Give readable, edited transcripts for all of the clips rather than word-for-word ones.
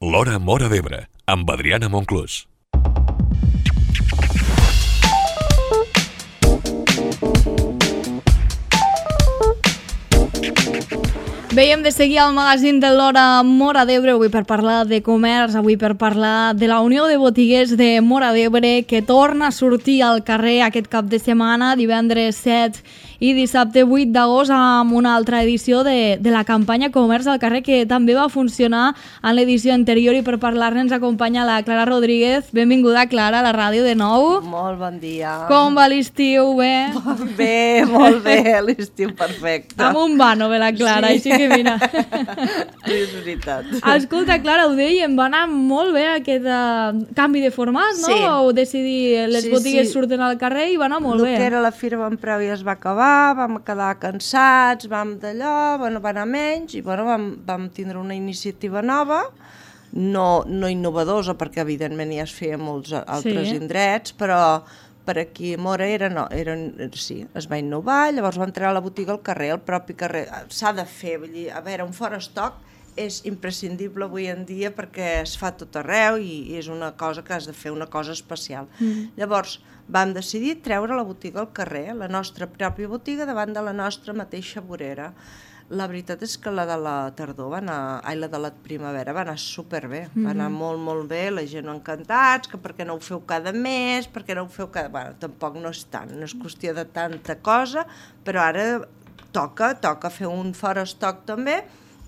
L'Hora Móra d'Ebre, amb Adriana Monclús. Veiem de seguir el magazín de l'Hora Móra d'Ebre, avui per parlar de comerç, avui per parlar de la Unió de Botiguers de Móra d'Ebre, que torna a sortir al carrer aquest cap de setmana, divendres 7 i dissabte 8 d'agost, amb una altra edició de la campanya Comerç al carrer, que també va funcionar en l'edició anterior, i per parlar-ne ens acompanya la Clara Rodríguez. Benvinguda, Clara, a la ràdio de nou. Molt bon dia. Com va l'estiu? Bé? Bé, molt bé, l'estiu perfecte. Amb un vano, ve la Clara, sí. Així que mira. Sí, és veritat. Escolta, Clara, ho dèiem, va anar molt bé aquest canvi de format, no? Sí. O decidir, les botigues surten al carrer i va anar molt bé. El que era la Fira Bon Preu ja es va acabar, vam quedar cansats, vam d'allò, va anar menys, i vam tindre una iniciativa nova, no innovadora, perquè evidentment ja es feia molts altres indrets, però per aquí a Móra sí, es va innovar, llavors va entrar a la botiga al carrer, al propi carrer. S'ha de fer, vull dir, a veure, un fora estoc és imprescindible avui en dia perquè es fa tot arreu i és una cosa que has de fer, una cosa especial. Llavors vam decidir treure la botiga al carrer, la nostra pròpia botiga, davant de la nostra mateixa vorera. La veritat és que la de la tardor la de la primavera va anar superbé, va anar molt, molt bé, la gent encantats, que per què no ho feu cada mes, per què no ho feu cada... Bueno, tampoc no és tant, no és qüestió de tanta cosa, però ara toca fer un fora estoc també,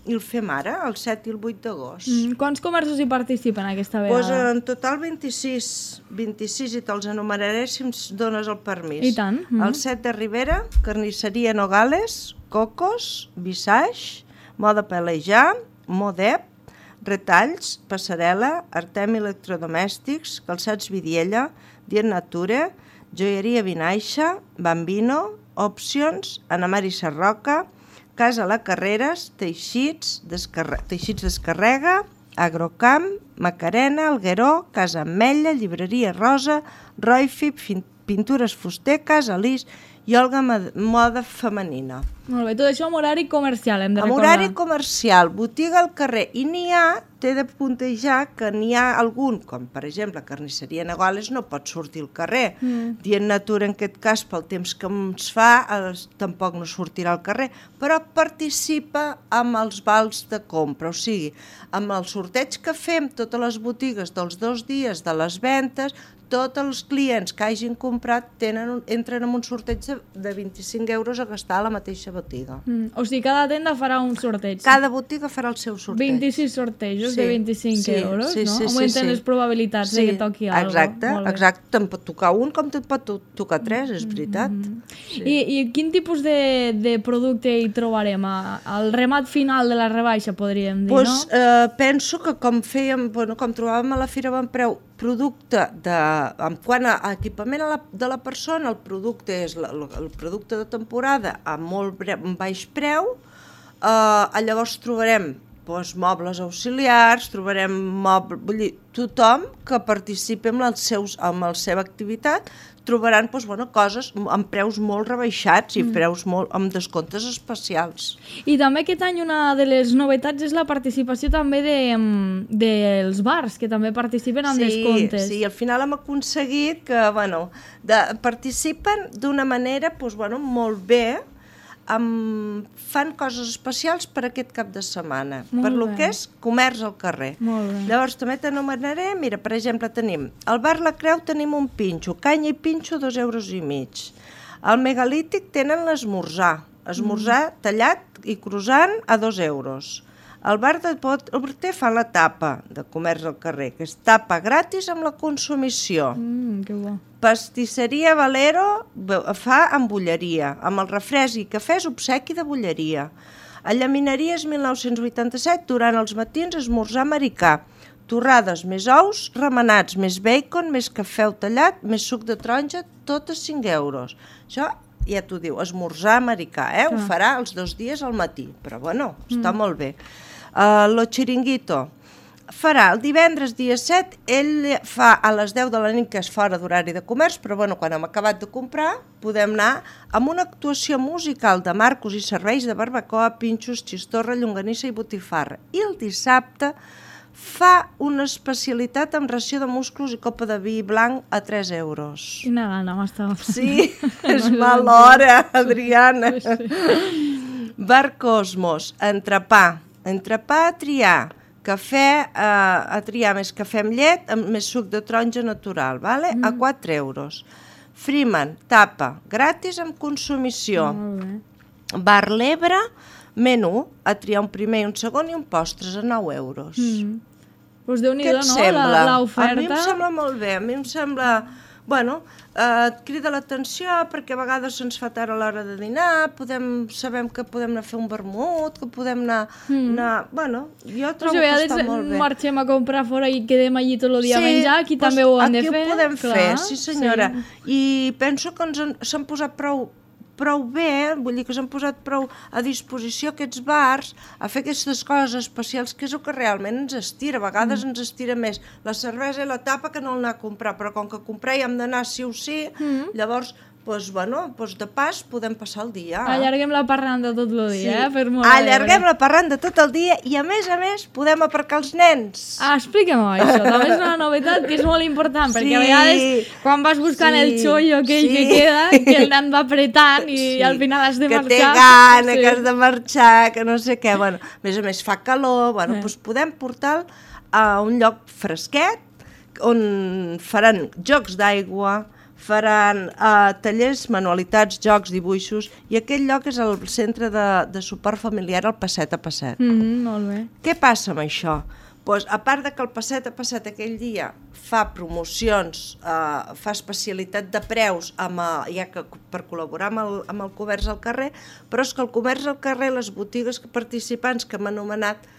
i el fem ara, el 7 i el 8 d'agost. Quants comerços hi participen aquesta vegada? Pues en total 26 i te'ls enumeraré si em dones el permís. I tant. El 7 de Ribera, Carnisseria Nogales, Cocos, Visage, Moda Pelejar, Modep, Retalls, Passarel·la, Artem Electrodomèstics, Calçats Vidiella, Dient Nature, Joieria Vinaixa, Bambino, Opcions, Ana Mari Sarroca, Casa La Carreres, Teixits Descarrega, Agrocamp, Macarena, Algueró, Casa Ametlla, Llibreria Rosa, Roifip, Pintures Fuster, Casa Lis i Olga Moda Femenina. Molt bé, tot això amb horari comercial, hem de recordar. Amb horari comercial, botiga al carrer, i t'he de puntejar que n'hi ha algun, com per exemple Carnisseria Nogales no pot sortir al carrer, Dient Natura en aquest cas pel temps que ens fa tampoc no sortirà al carrer, però participa amb els vals de compra, o sigui, amb el sorteig que fem totes les botigues dels 2 dies de les ventes, tots els clients que hagin comprat entren en un sorteig de 25 euros a gastar a la mateixa botiga. O sigui, cada tenda farà un sorteig. Cada botiga farà el seu sorteig. 26 sortejos de 25 euros, no? Sí, augmenten les probabilitats de que toqui alguna cosa. Exacte. Te'n pot tocar un com te'n pot tocar 3, és veritat. I quin tipus de producte hi trobarem? Al remat final de la rebaixa, podríem dir, no? Penso que com trobàvem a la Fira Bon Preu, producte quant a equipament de la persona, el producte és el producte de temporada a molt baix preu, llavors trobarem mobles auxiliars, trobarem tothom que participi amb la seva activitat trobaran coses amb preus molt rebaixats i preus amb descomptes especials. I també aquest any una de les novetats és la participació també dels bars, que també participen amb descomptes. Sí, al final hem aconseguit que participen d'una manera molt bé, fan coses especials per aquest cap de setmana, per lo que és comerç al carrer. Llavors també t'anomenaré, mira, per exemple, tenim al bar La Creu tenim un pinxo, canya i pinxo 2,5 euros. Al Megalític tenen l'esmorzar tallat i croissant a 2 euros. Al bar de Porter fa la tapa de comerç al carrer, que és tapa gratis amb la consumició. Que bo. Pastisseria Valero fa amb bulleria, amb el refresc i cafès obsequi de bulleria. A Llaminaries 1987, durant els matins, esmorzar americà. Torrades més ous, remenats més bacon, més cafè tallat, més suc de taronja, tot a 5 euros. Això ja t'ho diu, esmorzar americà, ho farà els 2 dies al matí, però està molt bé. Lo Chiringuito farà el divendres dia 7, ell fa a les 10 de la nit, que és fora d'horari de comerç, però quan hem acabat de comprar podem anar amb una actuació musical de Marcos i serveis de barbacoa, pinxos, xistorra, llonganissa i botifarra. I el dissabte fa una especialitat amb ració de musclos i copa de vi blanc a 3 euros. Quina gana m'estava fent. Sí, és mala hora, Adriana. Bar Cosmos, entrepà a triar, cafè a triar més cafè amb llet, amb més suc de taronja natural, vale? A 4 euros. Freeman, tapa, gratis amb consumició. Molt bé. Bar L'Ebre, menú, a triar un primer i un segon i un postres a 9 euros. Doncs Què Déu-n'hi-do, et no? sembla? L'oferta. A mi em sembla molt bé, a mi em sembla... Bueno, et crida l'atenció perquè a vegades se'ns fa tard a l'hora de dinar, sabem que podem anar a fer un vermut, que podem anar... Bueno, jo trobo que està molt bé. Marxem a comprar fora i quedem allí tot el dia a menjar, aquí també ho han de fer. Aquí ho podem fer, sí senyora. I penso que s'han posat prou bé, vull dir que s'han posat prou a disposició aquests bars a fer aquestes coses especials, que és el que realment ens estira. A vegades ens estira més la cervesa i la tapa que no anar a comprar, però com que comprar hi hem d'anar sí o sí, llavors, de pas podem passar el dia. Allarguem la parranda tot el dia, per molt allarguem la parranda tot el dia i a més podem aparcar els nens. Explica-m'ho això, també és una novetat que és molt important, perquè a vegades quan vas buscant el xollo aquell que queda, que el nen va apretant i al final has de marxar. Que té gana, que has de marxar, que no sé què. Bueno, a més fa calor, doncs podem portar-lo a un lloc fresquet on faran jocs d'aigua, faran tallers, manualitats, jocs, dibuixos, i aquell lloc és el centre de suport familiar, el Passet a Passet. Molt bé. Què passa amb això? Doncs, a part de que el Passet a Passet aquell dia fa promocions, fa especialitat de preus, ja que per col·laborar amb el comerç al carrer, però és que el comerç al carrer, les botigues participants que hem anomenat,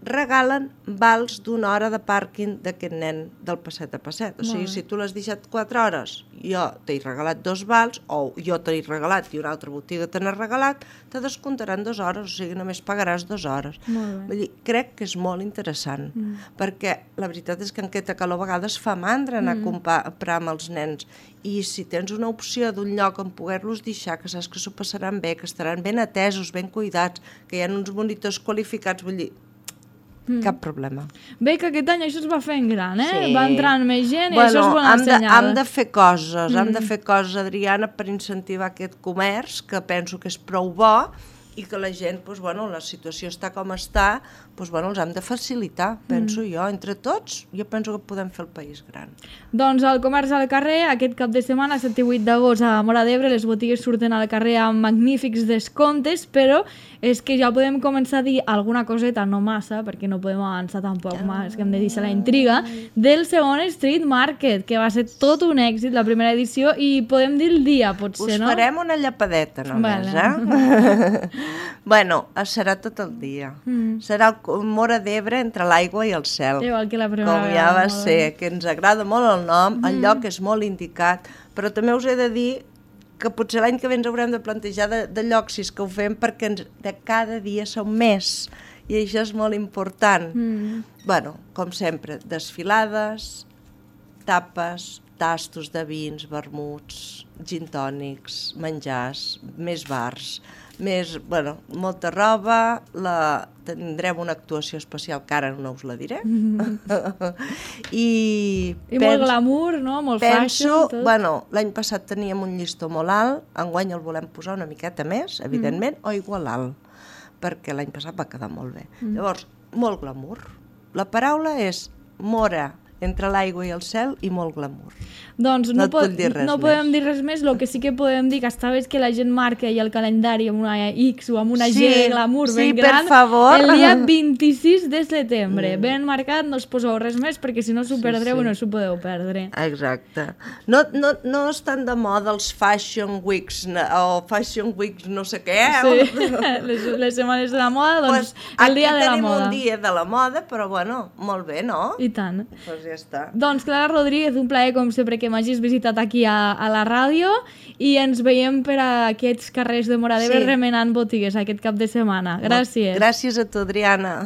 regalen vals d'una hora de pàrquing d'aquest nen del Passet a Passet. O sigui, si tu l'has deixat 4 hores, jo t'he regalat 2 vals, o jo t'he regalat i una altra botiga te n'ha regalat, te descomptaran 2 hores, o sigui, només pagaràs 2 hores. Vull dir, crec que és molt interessant, perquè la veritat és que en aquesta calor a vegades fa mandra anar a comprar amb els nens, i si tens una opció d'un lloc on poder-los deixar, que saps que s'ho passaran bé, que estaran ben atesos, ben cuidats, que hi ha uns monitors qualificats, vull dir, cap problema. Bé, que aquest any això es va fent gran, Sí. Va entrant més gent i això és bona senyal. Hem de fer coses, Adriana, per incentivar aquest comerç, que penso que és prou bo, i que la gent, la situació està com està, els hem de facilitar, penso jo, entre tots, jo penso que podem fer el país gran. Doncs el comerç al carrer, aquest cap de setmana, 7 i 8 d'agost a Móra d'Ebre, les botigues surten al carrer amb magnífics descomptes, però és que ja podem començar a dir alguna coseta, no massa, perquè no podem avançar tampoc més, que hem de deixar la intriga, del segon Street Market, que va ser tot un èxit, la primera edició, i podem dir el dia, potser, no? Us farem una llapadeta només, serà tot el dia. Serà el Móra d'Ebre entre l'aigua i el cel. Igual que la primera com ja va ser, que ens agrada molt el nom, el lloc és molt indicat, però també us he de dir que potser l'any que ve ens haurem de plantejar de llocs, si és que ho fem, perquè de cada dia som més, i això és molt important. Com sempre, desfilades, tapes, tastos de vins, vermuts, gin tònics, menjars, més bars, molta roba, tindrem una actuació especial que ara no us la diré. I molt glamour, no? Molt fashion. L'any passat teníem un llistó molt alt, enguany el volem posar una miqueta més, evidentment, o igual alt, perquè l'any passat va quedar molt bé. Llavors, molt glamour. La paraula és Móra, entre l'aigua i el cel, i molt glamour. Doncs no podem dir res més, el que sí que podem dir que està bé que la gent marca i el calendari amb una X o amb una G glamour ben gran, per favor. El dia 26 de setembre. Ben marcat, no us poseu res més, perquè si no s'ho perdreu i no s'ho podeu perdre. Exacte. No estan de moda els Fashion Weeks o Fashion Weeks no sé què. Sí, les setmanes de la moda, doncs el dia de la moda. Aquí tenim un dia de la moda, però molt bé, no? I tant. Doncs ja està. Doncs Clara Rodríguez, un plaer com sempre que m'hagis visitat aquí a la ràdio, i ens veiem per aquests carrers de Móra d'Ebre remenant botigues aquest cap de setmana. Gràcies. Gràcies a tu, Adriana.